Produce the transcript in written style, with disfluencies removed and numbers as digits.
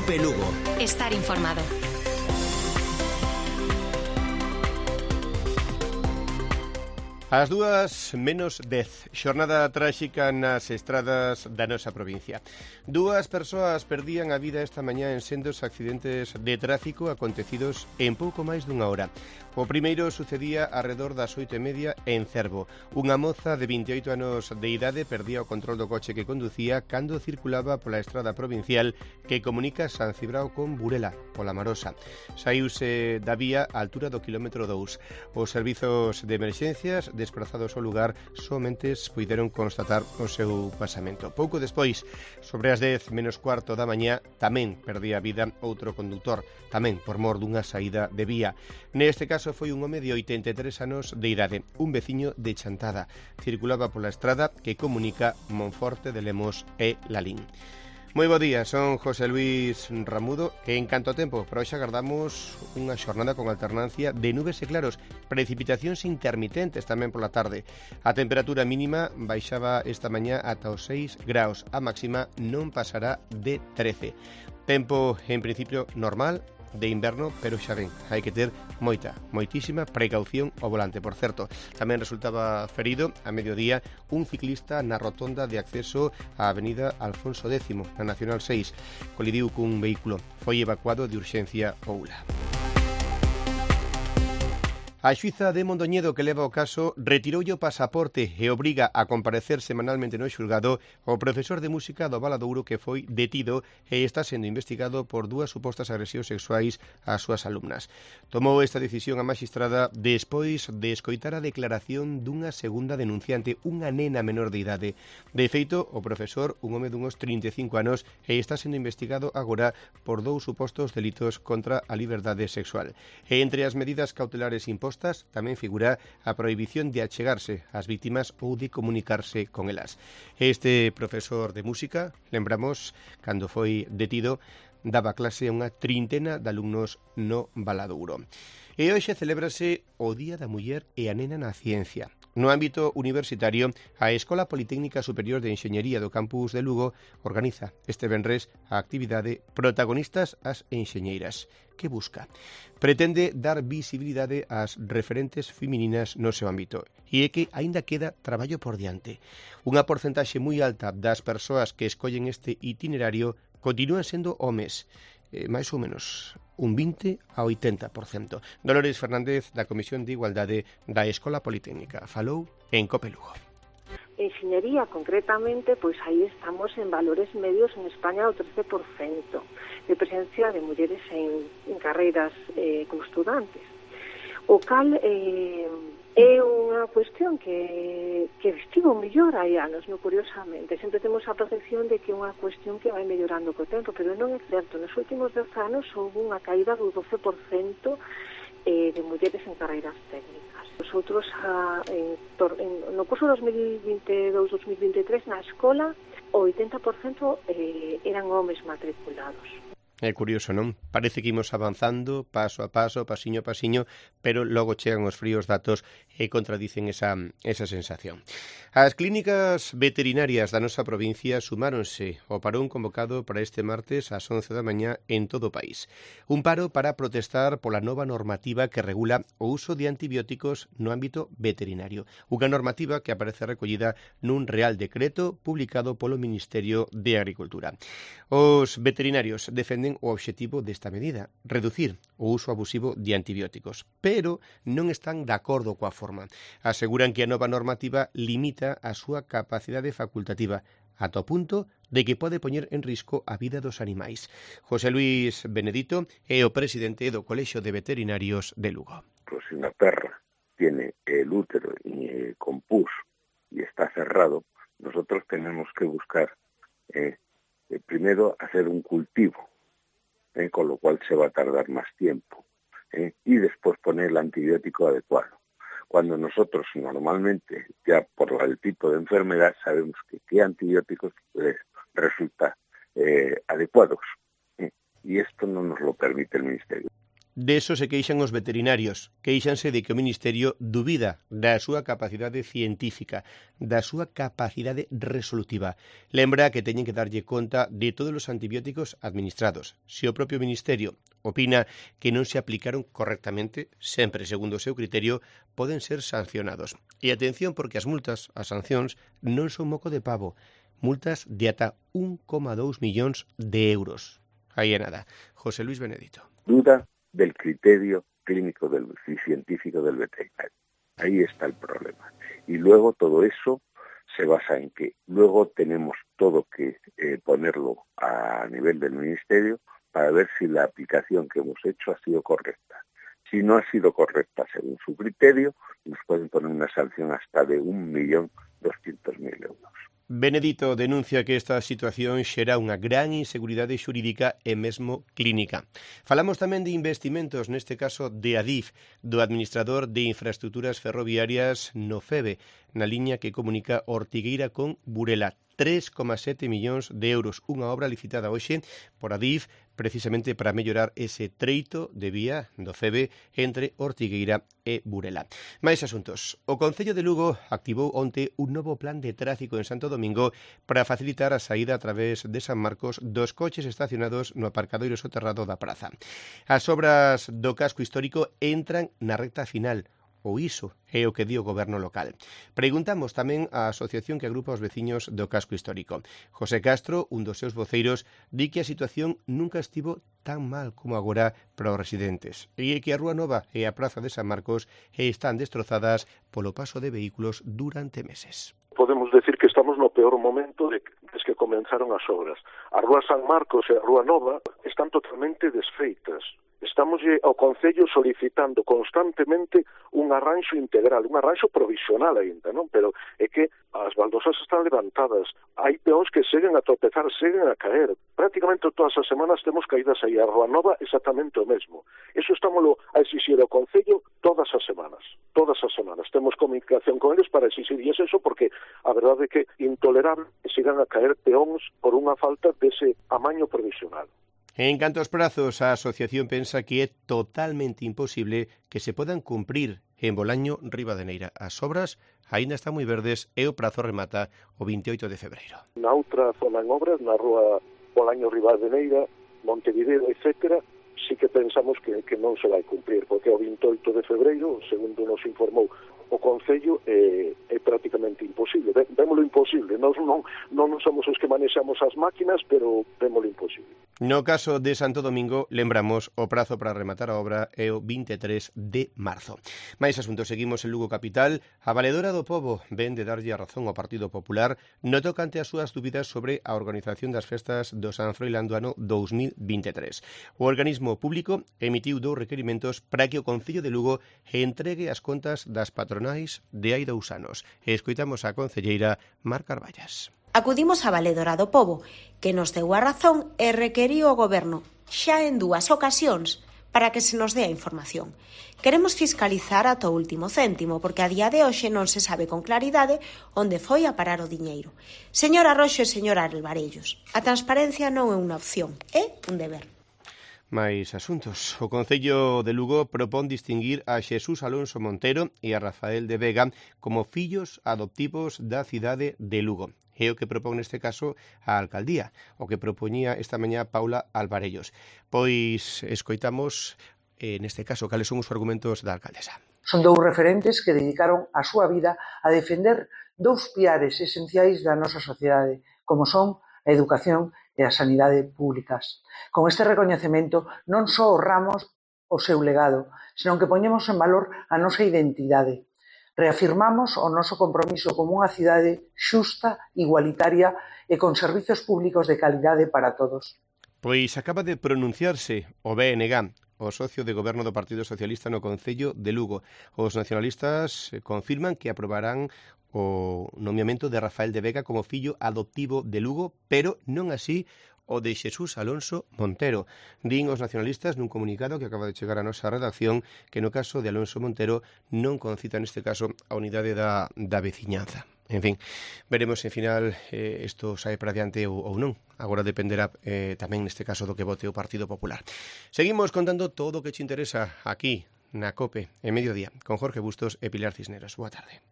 COPE Lugo. Estar informado. As 2:10, xornada tráxica nas estradas da nosa provincia. 2 persoas perdían a vida esta mañá en sendos accidentes de tráfico acontecidos en pouco máis dunha hora. O primeiro sucedía arredor das 8:30 en Cervo. Unha moza de 28 anos de idade perdía o control do coche que conducía cando circulaba pola estrada provincial que comunica San Cibrao con Burela, pola Marosa. Saíuse da vía á altura do quilómetro 2. Os servizos de emerxencias desprazados ao lugar somente puideron constatar o seu pasamento. Pouco despois, sobre as 10:15 da mañá, tamén perdía a vida outro condutor, tamén por mor dunha saída de vía. Neste caso foi un home de 83 anos de idade, un veciño de Chantada. Circulaba pola estrada que comunica Monforte de Lemos e Lalín. Moi bo día, son José Luis Ramudo e en canto a tempo, para hoxe agardamos unha xornada con alternancia de nubes e claros, precipitacións intermitentes tamén pola tarde. A temperatura mínima baixaba esta mañá ata os 6 graus, a máxima non pasará de 13. Tempo, en principio, normal, de inverno, pero xa ven, hai que ter moitísima precaución ao volante. Por certo, tamén resultaba ferido a mediodía un ciclista na rotonda de acceso á avenida Alfonso X, na Nacional 6. Colidiu cun vehículo. Foi evacuado de urxencia ao ULA. A xuíza de Mondoñedo que leva o caso retiroulle o pasaporte e obriga a comparecer semanalmente no xulgado o profesor de música do Valadouro que foi detido e está sendo investigado por 2 supostas agresións sexuais ás súas alumnas. Tomou esta decisión a maxistrada despois de escoitar a declaración dunha segunda denunciante, unha nena menor de idade. De feito, o profesor, un home dunhos 35 anos, e está sendo investigado agora por 2 supostos delitos contra a liberdade sexual. E entre as medidas cautelares impostas tamén figura a prohibición de achegarse ás vítimas ou de comunicarse con elas. Este profesor de música, lembramos, cando foi detido, daba clase a unha trintena de alumnos no Valadouro. E hoxe celébrase o Día da Muller e a Nena na Ciencia. No ámbito universitario, a Escola Politécnica Superior de Enxeñería do campus de Lugo organiza este venres a actividade Protagonistas as Enxeñeiras, que busca. Pretende dar visibilidade ás referentes femininas no seu ámbito e é que aínda queda traballo por diante. Unha porcentaxe moi alta das persoas que escollen este itinerario continúan sendo homes, máis ou menos un 20 a 80%. Dolores Fernández, da Comisión de Igualdade da Escola Politécnica, falou en COPE Lugo. Enxeñería, concretamente, pois aí estamos en valores medios en España do 13% de presencia de mulleres en carreiras como estudantes. O cal é unha cuestión que estivo mellor hai anos, non, curiosamente. Sempre temos a percepción de que é unha cuestión que vai mellorando co tempo, pero non é certo. Nos últimos 10 anos houve unha caída do 12% de mulleres en carreiras técnicas. Nosotros, no curso 2022-2023, na escola, o 80% eran homes matriculados. É curioso, non? Parece que imos avanzando paso a paso, pasiño a pasiño, pero logo chegan os fríos datos e contradicen esa sensación. As clínicas veterinarias da nosa provincia sumáronse ao parón convocado para este martes ás 11 da mañá en todo o país. Un paro para protestar pola nova normativa que regula o uso de antibióticos no ámbito veterinario. Unha normativa que aparece recollida nun Real Decreto publicado polo Ministerio de Agricultura. Os veterinarios defenden o obxectivo desta medida, reducir o uso abusivo de antibióticos, pero non están de acordo coa forma. Aseguran que a nova normativa limita a súa capacidade facultativa, ata o punto de que pode poñer en risco a vida dos animais. José Luis Benedito é o presidente do Colexio de Veterinarios de Lugo. Pues si una perra tiene el útero con pus y está cerrado, nosotros tenemos que buscar primero hacer un cultivo, con lo cual se va a tardar más tiempo, y después poner el antibiótico adecuado. Cuando nosotros normalmente, ya por el tipo de enfermedad, sabemos que qué antibióticos resulta adecuados, y esto no nos lo permite el Ministerio. Deso se queixan os veterinarios, queixanse de que o Ministerio dubida da súa capacidade científica, da súa capacidade resolutiva. Lembra que teñen que darlle conta de todos os antibióticos administrados. Se o propio Ministerio opina que non se aplicaron correctamente, sempre segundo o seu criterio, poden ser sancionados. E atención, porque as multas, as sancións, non son moco de pavo. Multas de ata 1,2 millóns de euros. Aí é nada. José Luis Benedito. Duda del criterio clínico y científico del veterinario. Ahí está el problema. Y luego todo eso se basa en que luego tenemos todo que ponerlo a nivel del Ministerio para ver si la aplicación que hemos hecho ha sido correcta. Si no ha sido correcta según su criterio, nos pueden poner una sanción hasta de 1.200.000 euros. Benedito denuncia que esta situación xera unha gran inseguridade xurídica e mesmo clínica. Falamos tamén de investimentos, neste caso de Adif, do administrador de infraestructuras ferroviarias no FEBE, na liña que comunica Ortigueira con Burela. 3,7 millóns de euros, unha obra licitada hoxe por Adif precisamente para mellorar ese treito de vía do FEBE entre Ortigueira e Burela. Mais asuntos. O Concello de Lugo activou onte un novo plan de tráfico en Santo Domingo para facilitar a saída a través de San Marcos dos coches estacionados no aparcadoiro soterrado da praza. As obras do casco histórico entran na recta final. O iso é o que di o goberno local. Preguntamos tamén á asociación que agrupa os veciños do casco histórico. José Castro, un dos seus voceiros, di que a situación nunca estivo tan mal como agora para os residentes e que a Rúa Nova e a Praza de San Marcos están destrozadas polo paso de vehículos durante meses. Podemos decir que estamos no peor momento desde que comenzaron as obras. A Rúa San Marcos e a Rúa Nova están totalmente desfeitas. Estamos ao Concello solicitando constantemente un arranxo integral, un arranxo provisional aínda, non? Pero é que as baldosas están levantadas, hai peóns que seguen a tropezar, seguen a caer. Prácticamente todas as semanas temos caídas aí. A Rúa Nova exactamente o mesmo. Eso estámoslo a exixir ao Concello todas as semanas. Todas as semanas. Temos comunicación con eles para exixirles eso porque a verdade é que intolerable que sigan a caer peóns por unha falta dese amaño provisional. En canto aos prazos, a asociación pensa que é totalmente imposible que se podan cumprir en Bolaño, Ribadeneira. As obras aínda están moi verdes e o prazo remata o 28 de febreiro. Na outra zona en obras, na rúa Bolaño, Ribadeneira, Montevideo, etc., sí que pensamos que non se vai cumprir, porque o 28 de febreiro, segundo nos informou o Concello, é prácticamente imposible. Vémolo imposible. Nós non somos os que manexamos as máquinas, pero vémolo imposible. No caso de Santo Domingo, lembramos, o prazo para rematar a obra é o 23 de marzo. Mais asuntos, seguimos en Lugo Capital. A Valedora do Pobo ven de darlle a razón ao Partido Popular no tocante as súas dúbidas sobre a organización das festas do San Froilán do ano 2023. O organismo público emitiu 2 requerimentos para que o Concello de Lugo entregue as contas das patronais de hai 2 anos. E escoitamos a concelleira Mar Carballas. Acudimos a Valedora do Pobo, que nos deu a razón e requeriu o Goberno, xa en 2 ocasións, para que se nos dé a información. Queremos fiscalizar ata o último céntimo, porque a día de hoxe non se sabe con claridade onde foi a parar o diñeiro. Señora Roxo e señora Alvarellos, a transparencia non é unha opción, é un deber. Mais asuntos. O Concello de Lugo propón distinguir a Xesús Alonso Montero e a Rafael de Vega como fillos adoptivos da cidade de Lugo. É o que propón neste caso a alcaldía, o que propoñía esta mañá Paula Alvarellos. Pois escoitamos, neste caso, cales son os argumentos da alcaldesa. Son 2 referentes que dedicaron a súa vida a defender 2 piares esenciais da nosa sociedade, como son a educación e a sanidade públicas. Con este recoñecemento non só honramos o seu legado, senón que poñemos en valor a nosa identidade. Reafirmamos o noso compromiso como unha cidade xusta, igualitaria e con servizos públicos de calidade para todos. Pois acaba de pronunciarse o BNG, o socio de goberno do Partido Socialista no Concello de Lugo. Os nacionalistas confirman que aprobarán o nomeamento de Rafael de Vega como fillo adoptivo de Lugo, pero non así o de Xesús Alonso Montero. Din os nacionalistas nun comunicado que acaba de chegar a nosa redacción que no caso de Alonso Montero non concita neste caso a unidade da veciñanza. En fin, veremos se final isto sae para diante ou non. Agora dependerá tamén neste caso do que vote o Partido Popular. Seguimos contando todo o que te interesa aquí na COPE, en Mediodía, con Jorge Bustos e Pilar Cisneros. Boa tarde.